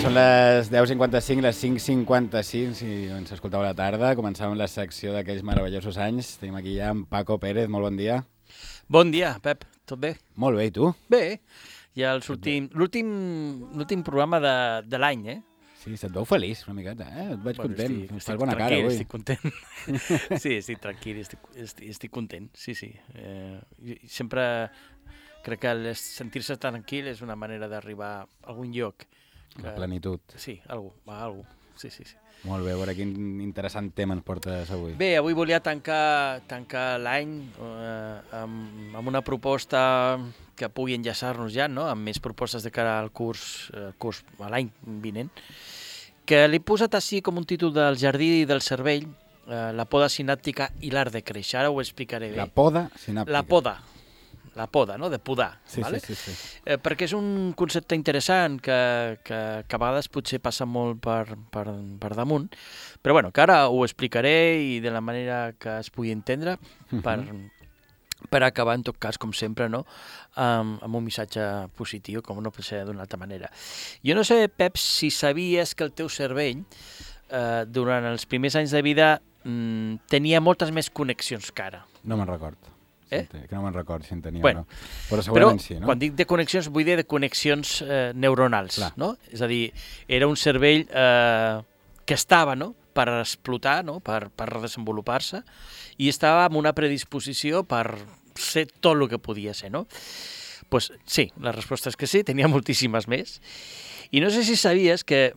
Són les 10:55, les 5:56, si ens escolteu a la tarda. Començàvem la secció d'aquells meravellosos anys. Tenim aquí ja en Paco Pérez, molt bon dia. Bon dia, Pep, tot bé? Molt bé, i tu? Bé, ja l'últim programa de l'any, eh? Sí, se't veu feliç una miqueta, eh? Et veig content, fas bona cara tranquil, avui. estic content. Sí, estic tranquil, estic content, sí. Sempre crec que sentir-se tranquil és una manera d'arribar a algun lloc. La plenitud. Sí, algú. Sí. Molt bé, a veure quin interessant tema ens portes avui. Bé, avui volia tancar l'any amb una proposta que pugui enllaçar-nos ja, no? Amb més propostes de cara al curs a l'any vinent, que l'he posat així com un títol del Jardí del Cervell, la poda sinàptica i l'art de créixer. Ara ho explicaré bé. La poda sinàptica. La poda, no? De podar. Sí, vale? sí. Perquè és un concepte interessant que a vegades potser passa molt per damunt, però bueno, que ara ho explicaré i de la manera que es pugui entendre per acabar, en tot cas, com sempre, no? Amb un missatge positiu, com no pot ser d'una altra manera. Jo no sé, Pep, si sabies que el teu cervell, durant els primers anys de vida, tenia moltes més connexions que ara. No me'n record. Que no me'n record si en tenia bueno, o no. Però segurament sí, no? Quan dic de connexions, vull dir de connexions neuronals, no? És a dir, era un cervell que estava, no?, per explotar, no?, per desenvolupar-se, i estava amb una predisposició per ser tot el que podia ser, no? Pues sí, la resposta és que sí, tenia moltíssimes més. I no sé si sabies que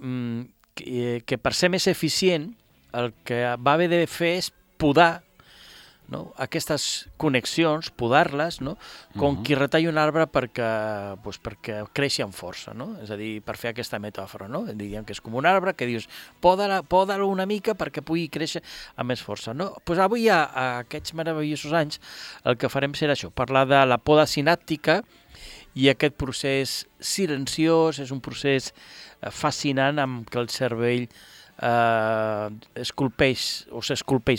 per ser més eficient el que va haver de fer és podar, no?, aquestes connexions, podar-les, no?, com qui retalla un arbre perquè creixi amb força, no? És a dir, per fer aquesta metàfora, no? Diríem que és com un arbre que dius, poda-lo una mica perquè pugui créixer amb més força, no? Pues avui, a aquests meravellosos anys, el que farem serà això, parlar de la poda sinàptica i aquest procés silenciós, és un procés fascinant amb què el cervell s'esculpeix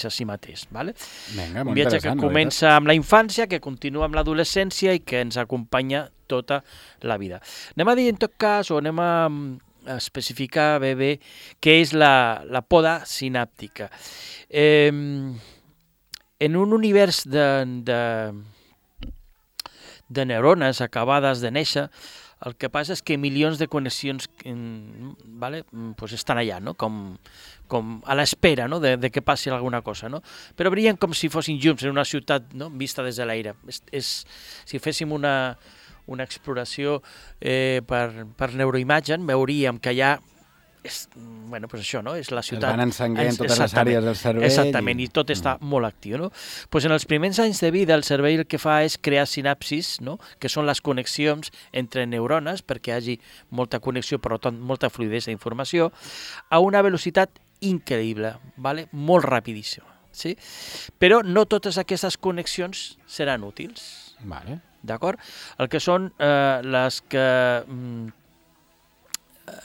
a si mateix. Vale? Vinga, un viatge que comença amb la infància, que continua amb l'adolescència i que ens acompanya tota la vida. Anem a dir, en tot cas, o anem a especificar bé què és la poda sinàptica. En un univers de neurones acabades de néixer, el que passa és que milions de connexions pues estan allà, no? Com a l'espera, no?, de que passi alguna cosa, no? Però brillen com si fossin llums en una ciutat, no?, vista des de l'aire. Si féssim una exploració per neuroimatge, veuríem que allà pues això, no? És la ciutat. Es van encenguent totes les àrees del cervell. Exactament, i tot està molt actiu, no? Pues en els primers anys de vida el cervell el que fa és crear sinapsis, no?, que són les connexions entre neurones, perquè hi hagi molta connexió, per tant, molta fluidesa d'informació, a una velocitat increïble, vale? Molt rapidíssima. Sí? Però no totes aquestes connexions seran útils. Vale. D'acord? El que són les que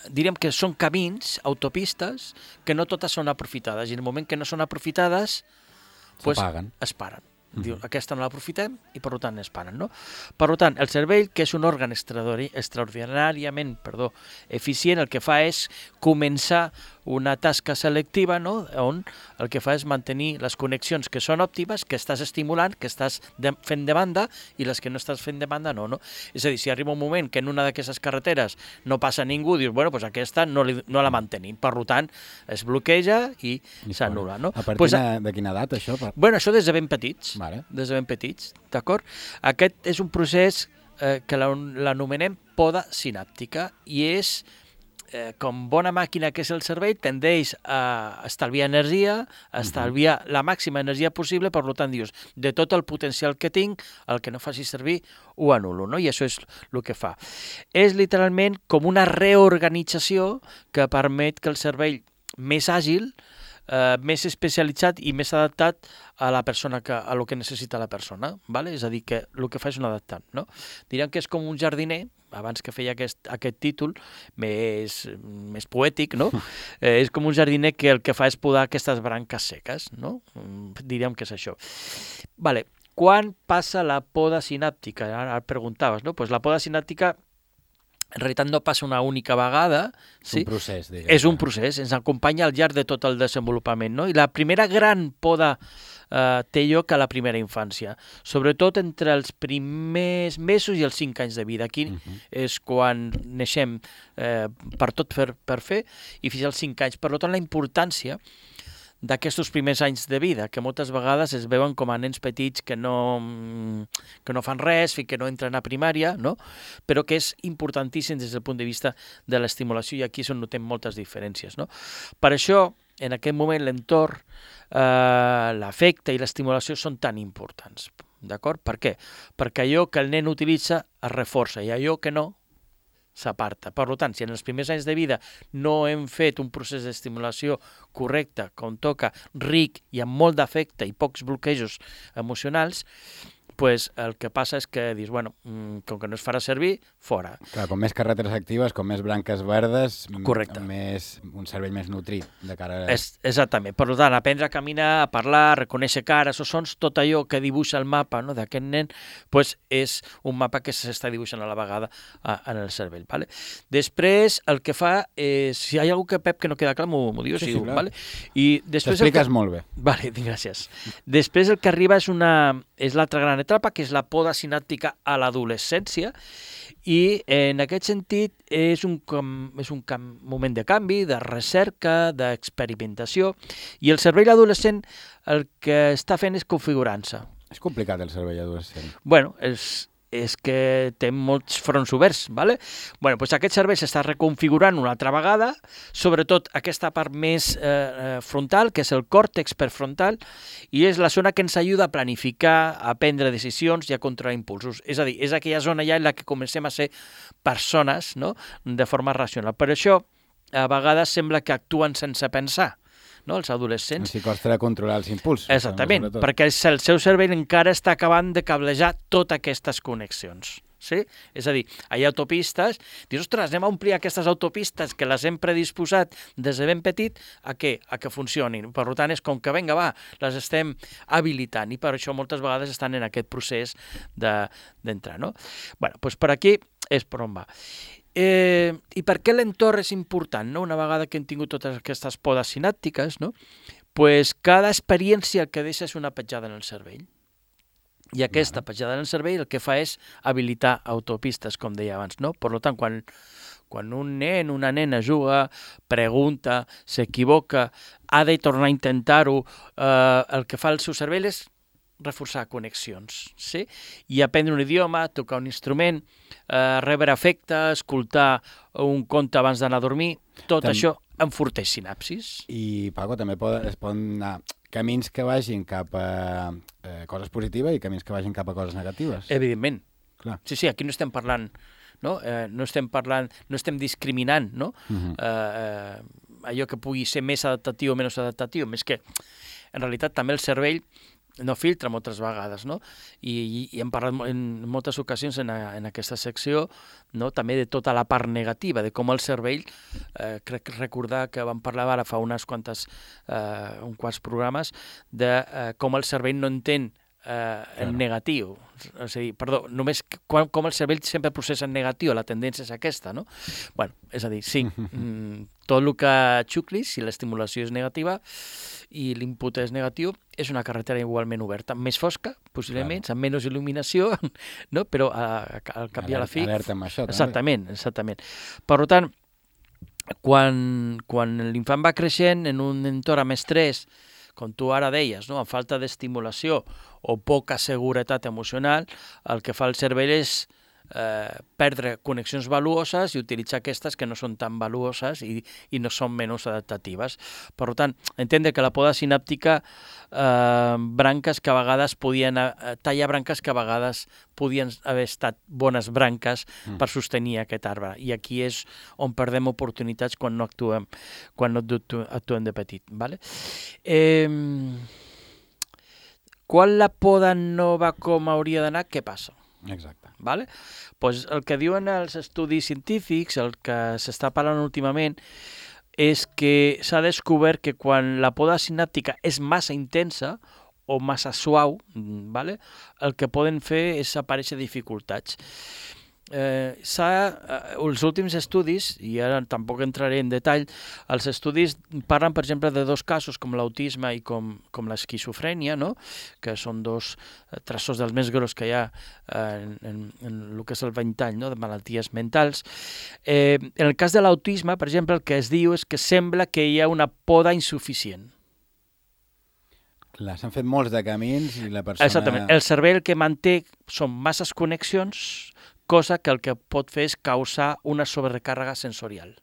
diríem que són camins, autopistes, que no totes són aprofitades, i en el moment que no són aprofitades es paren. Diu, aquesta no l'aprofitem i per tant es paren, no? Per tant, el cervell, que és un òrgan extraordinàriament eficient, el que fa és començar una tasca selectiva, no?, on el que fa és mantenir les connexions que són òptimes, que estàs estimulant, que estàs fent de banda, i les que no estàs fent de banda no. És a dir, si arriba un moment que en una d'aquestes carreteres no passa ningú, dius, bueno, doncs aquesta no la mantenim, per tant, es bloqueja i s'anul·la, no? A partir de quina edat, això? Bueno, això des de ben petits. Vale. Des de ben petits, d'acord? Aquest és un procés que l'anomenem poda sinàptica i és, com bona màquina que és el cervell, tendeix a estalviar energia, a estalviar la màxima energia possible, per tant dius, de tot el potencial que tinc, el que no faci servir ho anulo, no? I això és el que fa. És literalment com una reorganització que permet que el cervell més àgil, més especialitzat i més adaptat a la persona, a lo que necessita la persona, vale? És a dir, que el que fa és un adaptant, no? Diríem que és com un jardiner, abans que feia aquest títol més poètic, no? És com un jardiner que el que fa és podar aquestes branques seques, no? Diríem que és això. Vale. Quan passa la poda sinàptica? Ara preguntaves, no? Pues la poda sinàptica En realitat no passa una única vegada. És un procés, diguem. És un procés, ens acompanya al llarg de tot el desenvolupament, no? I la primera gran poda té lloc a la primera infància, sobretot entre els primers mesos i els 5 anys de vida. Aquí és quan neixem per tot per fer i fins als 5 anys. Per tant, la importància d'aquests primers anys de vida, que moltes vegades es veuen com a nens petits que no fan res, que no entren a primària, no? Però que és importantíssim des del punt de vista de l'estimulació, i aquí és on notem moltes diferències, no? Per això, en aquest moment, l'entorn, l'afecte i l'estimulació són tan importants, d'acord? Per què? Perquè allò que el nen utilitza es reforça i allò que no s'aparta. Per tant, si en els primers anys de vida no hem fet un procés d'estimulació correcte, com toca, ric i amb molt d'afecte i pocs bloquejos emocionals, pues el que passa és que dius, bueno, com que no es farà servir, fora. Clar, com més carreteres actives, com més branques verdes, correcte, un cervell més nutrit de cara a... Exactament. Per tant, aprendre a caminar, a parlar, a reconèixer cares o sons, tot allò que dibuixa el mapa, no, d'aquest nen, pues és un mapa que s'està dibuixant a la vegada en el cervell. Vale? Després, el que fa és... Si hi ha algú que, Pep, que no queda clar, m'ho dius. Sí, clar. Vale? T'expliques molt bé. Vale, gràcies. Després el que arriba és l'altra gran etapa, que és la poda sinàptica a l'adolescència, i en aquest sentit és un moment de canvi, de recerca, d'experimentació, i el cervell adolescent el que està fent és configurant-se. És complicat el cervell adolescent. Bueno, és que té molts fronts oberts, ¿vale? Bueno, doncs aquest cervell s'està reconfigurant una altra vegada, sobretot aquesta part més frontal, que és el còrtex prefrontal, i és la zona que ens ajuda a planificar, a prendre decisions i a controlar impulsos. És a dir, és aquella zona ja en la que comencem a ser persones, no?, de forma racional. Per això, a vegades sembla que actuen sense pensar, no? Els adolescents. Els costa de controlar els impulsos. Exactament, perquè el seu cervell encara està acabant de cablejar totes aquestes connexions. Sí? És a dir, hi ha autopistes, dius, ostres, anem a omplir aquestes autopistes que les hem predisposat des de ben petit a què? A que funcionin. Per tant, és com que, vinga, va, les estem habilitant i per això moltes vegades estan en aquest procés d'entrar, no? Bueno, doncs per aquí és per on va. I per què l'entorn és important, no? Una vegada que hem tingut totes aquestes podes sinàptiques, no? Pues cada experiència que deixa és una petjada en el cervell. I aquesta petjada en el cervell el que fa és habilitar autopistes, com deia abans, no? Per tant, quan un nen, una nena juga, pregunta, s'equivoca, ha de tornar a intentar-ho, el que fa el seu cervell és reforçar connexions, sí? I aprendre un idioma, tocar un instrument, rebre afecte, escoltar un conte abans d'anar a dormir, tot això enforteix sinapsis. I, Paco, també es poden anar camins que vagin cap a coses positives i camins que vagin cap a coses negatives. Evidentment. Clar. Sí, sí, aquí no estem parlant, no? No estem discriminant, no? Allò que pugui ser més adaptatiu o menys adaptatiu, més que, en realitat, també el cervell no filtra moltes vegades, no? I hem parlat en moltes ocasions en aquesta secció, no? També de tota la part negativa, de com el cervell, crec recordar que vam parlar ara fa uns quants programes, de com el cervell no entén en negatiu. O sigui, perdó, només com el cervell sempre processa en negatiu, la tendència és aquesta, no? Bueno, és a dir, sí, tot el que xuclis, si l'estimulació és negativa i l'input és negatiu, és una carretera igualment oberta, més fosca, possiblement, amb menys il·luminació, no? Però al cap i a la fi... Alerta amb això, també. Exactament. Per tant, quan l'infant va creixent en un entorn amb estrès, com tu ara deies, no? Amb falta d'estimulació o poca seguretat emocional, el que fa el cervell és perdre connexions valuoses i utilitzar aquestes que no són tan valuoses i no són menys adaptatives. Per tant, entendre que la poda sinàptica branques que a vegades tallar branques que a vegades podien haver estat bones branques per sostenir aquest arbre. I aquí és on perdem oportunitats quan no actuem de petit. Vale? Quan la poda no va com hauria d'anar, què passa? Exacte. Vale? Pues el que diuen els estudis científics, el que s'està parlant últimament, és que s'ha descobert que quan la poda sinàptica és massa intensa o massa suau, vale? El que poden fer és aparèixer dificultats. els últims estudis, i ara tampoc entraré en detall, els estudis parlen, per exemple, de dos casos com l'autisme i com l'esquizofrènia, no? Que són dos trastorns dels més grossos que hi ha en el que és el ventall, no? De malalties mentals. En el cas de l'autisme, per exemple, el que es diu és que sembla que hi ha una poda insuficient. Clar, s'han fet molts de camins i la persona... Exactament. El cervell que manté són masses connexions, cosa que el que pot fer és causar una sobrecàrrega sensorial.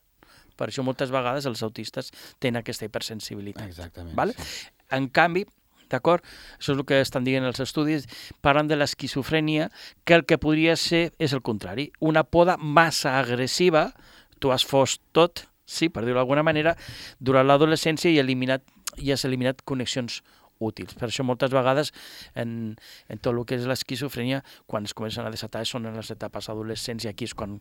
Per això moltes vegades els autistes tenen aquesta hipersensibilitat. Exactament. Vale? Sí. En canvi, d'acord, això és el que estan dient els estudis, parlen de l'esquizofrènia, que el que podria ser és el contrari, una poda massa agressiva, tu has fos tot, sí, per dir-ho d'alguna manera, durant l'adolescència i has eliminat connexions útils. Per això moltes vegades en tot el que és l'esquizofrènia, quan es comencen a desatar són en les etapes adolescents i aquí és quan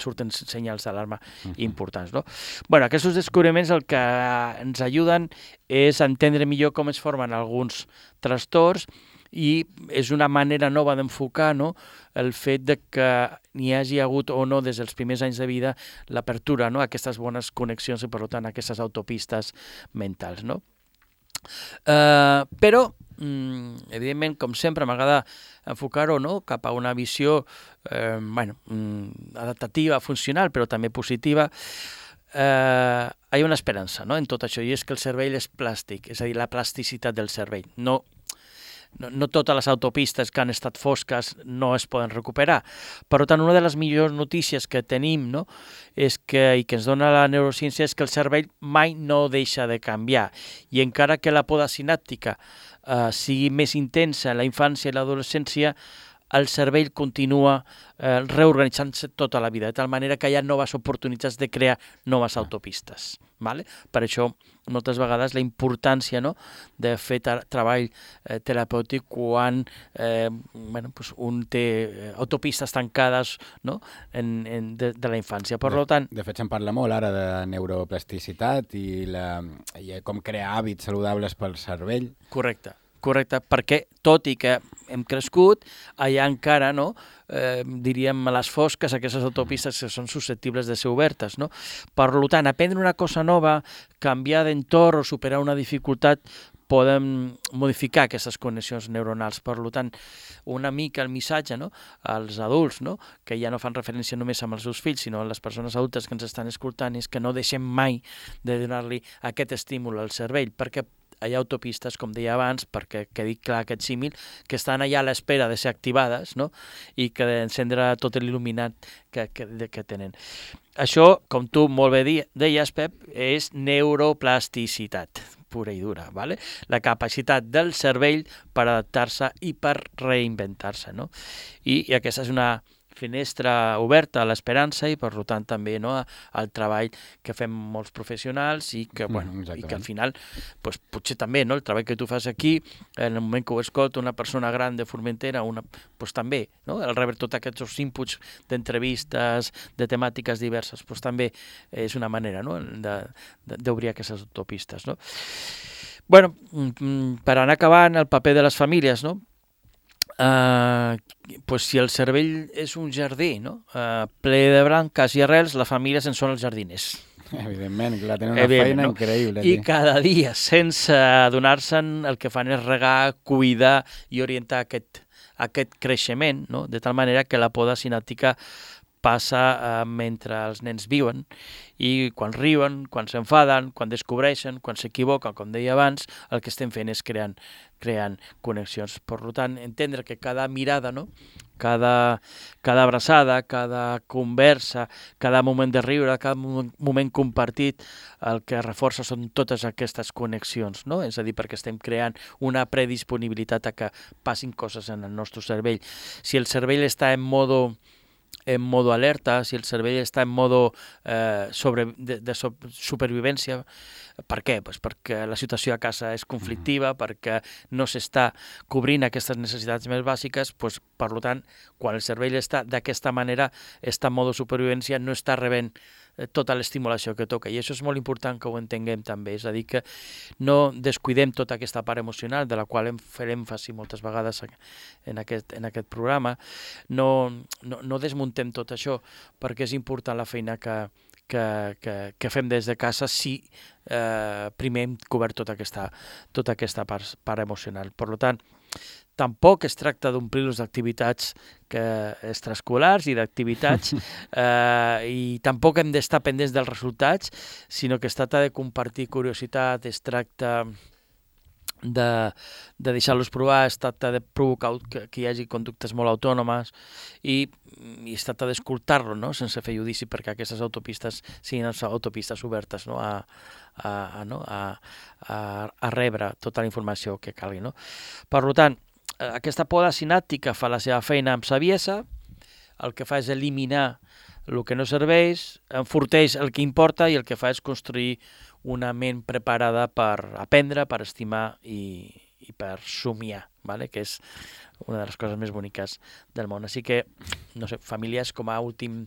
surten senyals d'alarma importants. No? Bueno, aquests descobriments el que ens ajuden és entendre millor com es formen alguns trastorns i és una manera nova d'enfocar, no? El fet de que n'hi hagi hagut o no des dels primers anys de vida l'apertura, no? A aquestes bones connexions i per tant a aquestes autopistes mentals. No? Però, evidentment, com sempre, m'agrada enfocar-ho, no? Cap a una visió adaptativa, funcional, però també positiva. Hi ha una esperança, no? En tot això, i és que el cervell és plàstic, és a dir, la plasticitat del cervell. No totes les autopistes que han estat fosques no es poden recuperar. Per tant, una de les millors notícies que tenim, no, és i que ens dona la neurociència és que el cervell mai no deixa de canviar. I encara que la poda sinàptica sigui més intensa en la infància i l'adolescència, el cervell continua reorganitzant-se tota la vida, de tal manera que hi ha noves oportunitats de crear noves autopistes. Vale? Per això, moltes vegades, la importància, no?, de fer treball terapèutic quan un té autopistes tancades, no?, de la infància. Per tant... De fet, se'n parla molt ara de neuroplasticitat i com crear hàbits saludables pel cervell. Correcte, perquè tot i que hem crescut, allà encara, no, diríem, a les fosques, aquestes autopistes que són susceptibles de ser obertes. No? Per tant, aprendre una cosa nova, canviar d'entorn o superar una dificultat, poden modificar aquestes connexions neuronals. Per tant, una mica el missatge, no, als adults, no, que ja no fan referència només amb els seus fills, sinó a les persones adultes que ens estan escoltant, és que no deixem mai de donar-li aquest estímul al cervell, perquè hi ha autopistes, com deia abans, perquè quedi clar aquest símil, que estan allà a l'espera de ser activades, no? I que d'encendre tot l'il·luminat que tenen. Això, com tu molt bé deies, Pep, és neuroplasticitat pura i dura, ¿vale? La capacitat del cervell per adaptar-se i per reinventar-se. No? I aquesta és una finestra oberta a l'esperança i, per tant, també, no, al treball que fem molts professionals i que, i que al final, pues, potser també, no, el treball que tu fas aquí, en el moment que ho escolta una persona gran de Formentera, pues, també, no, el rebre tots aquests inputs d'entrevistes, de temàtiques diverses, pues, també és una manera, no, d'obrir aquestes autopistes. No? Bueno, per anar acabant, el paper de les famílies, no? Pues si el cervell és un jardí, no? Ple de branques i arrels, la família en són els jardiners. Evidentment, clar, tenen una feina increïble. I cada dia, sense adonar-se'n, el que fan és regar, cuidar i orientar aquest creixement, no? De tal manera que la poda sinàptica passa mentre els nens viuen i quan riuen, quan s'enfaden, quan descobreixen, quan s'equivoquen, com deia abans, el que estem fent és creant connexions. Per tant, entendre que cada mirada, no? Cada abraçada, cada conversa, cada moment de riure, cada moment compartit, el que reforça són totes aquestes connexions, no? És a dir, perquè estem creant una predisponibilitat a que passin coses en el nostre cervell. Si el cervell està en modo alerta, si el cervell està en modo de supervivència. Per què? Pues perquè la situació a casa és conflictiva, perquè no s'està cobrint aquestes necessitats més bàsiques, pues, per tant, quan el cervell està d'aquesta manera, està en modo supervivència, no està rebent tota l'estimulació que toca, i això és molt important que ho entenguem també, és a dir, que no descuidem tota aquesta part emocional, de la qual farem èmfasi moltes vegades en aquest programa, no desmuntem tot això, perquè és important la feina que fem des de casa si primer hem cobert tota aquesta part emocional. Per tant, tampoc es tracta d'omplir-los d'activitats extraescolars i d'activitats i tampoc hem d'estar pendents dels resultats, sinó que es tracta de compartir curiositat, es tracta de deixar-los provar, es tracta de provocar que hi hagi conductes molt autònomes i es tracta d'escoltar-lo, no? Sense fer judici, perquè aquestes autopistes siguin autopistes obertes, no? a rebre tota la informació que calgui. No? Per tant, aquesta poda sinàptica fa la seva feina amb saviesa, el que fa és eliminar el que no serveix, enforteix el que importa i el que fa és construir una ment preparada per aprendre, per estimar i per somiar, ¿vale? Que és una de les coses més boniques del món. Així que, no sé, famílies, com a últim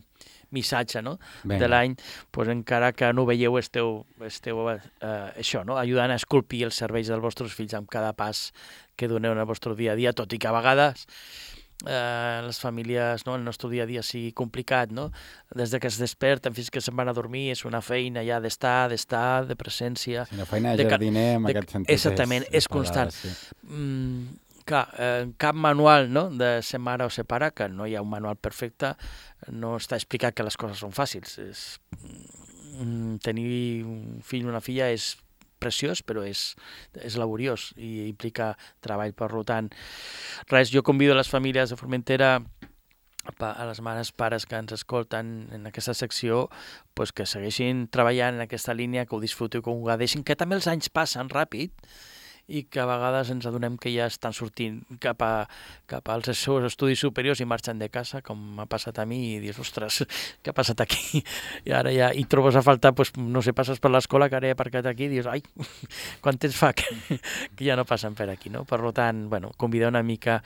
missatge, no? De l'any, pues, encara que no ho veieu, esteu això, no? Ajudant a esculpir els cervells dels vostres fills amb cada pas que doneu en el vostre dia a dia, tot i que a vegades les famílies, no, el nostre dia a dia sigui complicat, no? Des que es desperten fins que se'n van a dormir és una feina ja d'estar, de presència. Sí, una feina de jardiner, en aquest sentit. Exactament, és constant. Sí. Clar, cap manual, no, de ser mare o ser pare, que no hi ha un manual perfecte, no està explicat que les coses són fàcils. Tenir un fill o una filla és preciós, però és laboriós i implica treball. Per tant, res, jo convido les famílies de Formentera, a les mares, pares que ens escolten en aquesta secció, pues que segueixin treballant en aquesta línia, que ho disfruteu, que ho gaudeixin, que també els anys passen ràpid i que a vegades ens adonem que ja estan sortint cap als seus estudis superiors i marxen de casa, com m'ha passat a mi, i dius, ostres, què ha passat aquí? I ara ja hi trobes a faltar, pues, no sé, passes per l'escola que ara he aparcat aquí i dius, ai, quant temps fa que ja no passen per aquí, no? Per tant, bueno, convidar una mica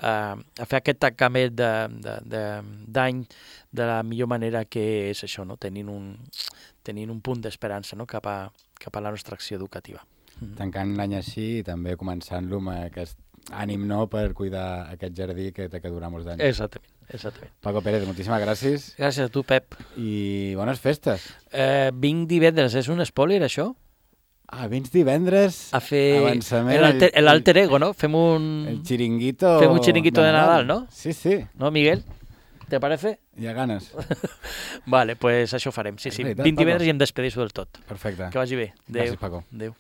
a fer aquest tancament d'any de la millor manera, que és això, no? Tenint un punt d'esperança, no? cap a la nostra acció educativa. Tancant l'any així i també començant-lo amb aquest ànim, no?, per cuidar aquest jardí que té que durar molts anys. Exactament. Paco Pérez, moltíssimes gràcies. Gràcies a tu, Pep. I bones festes. Vinc divendres, és un spoiler, això? Vins divendres a fer avançament. L'alter ego, no? Fem un chiringuito de Nadal, no? Sí. ¿No, Miguel? ¿Te parece? Hi ha ganes. Vale, pues això farem, sí. Vinc divendres i em despedeixo del tot. Perfecte. Que vagi bé. Adéu. Gràcies, Paco. Adéu.